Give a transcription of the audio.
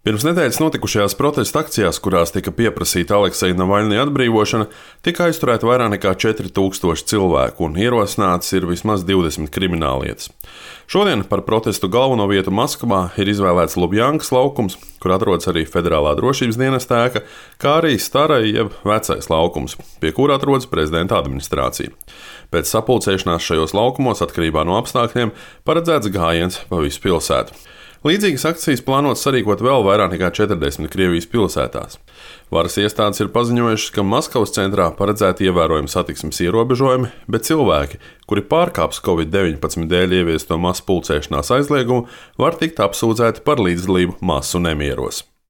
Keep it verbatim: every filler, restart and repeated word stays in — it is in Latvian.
Pirms nedēļas notikušajās protesta akcijās, kurās tika pieprasīta Alekseja Navaļņija atbrīvošana, tika aizturēti vairāk nekā četri tūkstoši cilvēku un ierosināts ir vismaz divdesmit krimināllietas. Šodien par protestu galveno vietu Maskavā ir izvēlēts Lubjankas laukums, kur atrodas arī Federālā drošības dienesta ēka, kā arī Starai jeb Vecais laukums, pie kura atrodas prezidenta administrācija. Pēc sapulcēšanās šajos laukumos, atkarībā no apstākļiem, paredzēts gājiens pa visu pilsētu. Līdzīgas akcijas plānotas sarīkot vēl vairāk nekā četrdesmit Krievijas pilsētās. Varas iestādes ir paziņojušas, ka Maskavas centrā paredzēti ievērojami satiksmes ierobežojumi, bet cilvēki, kuri pārkāps covid deviņpadsmit dēļ ieviesto masu pulcēšanās aizliegumu, var tikt apsūdzēti par līdzdalību masu nemieros.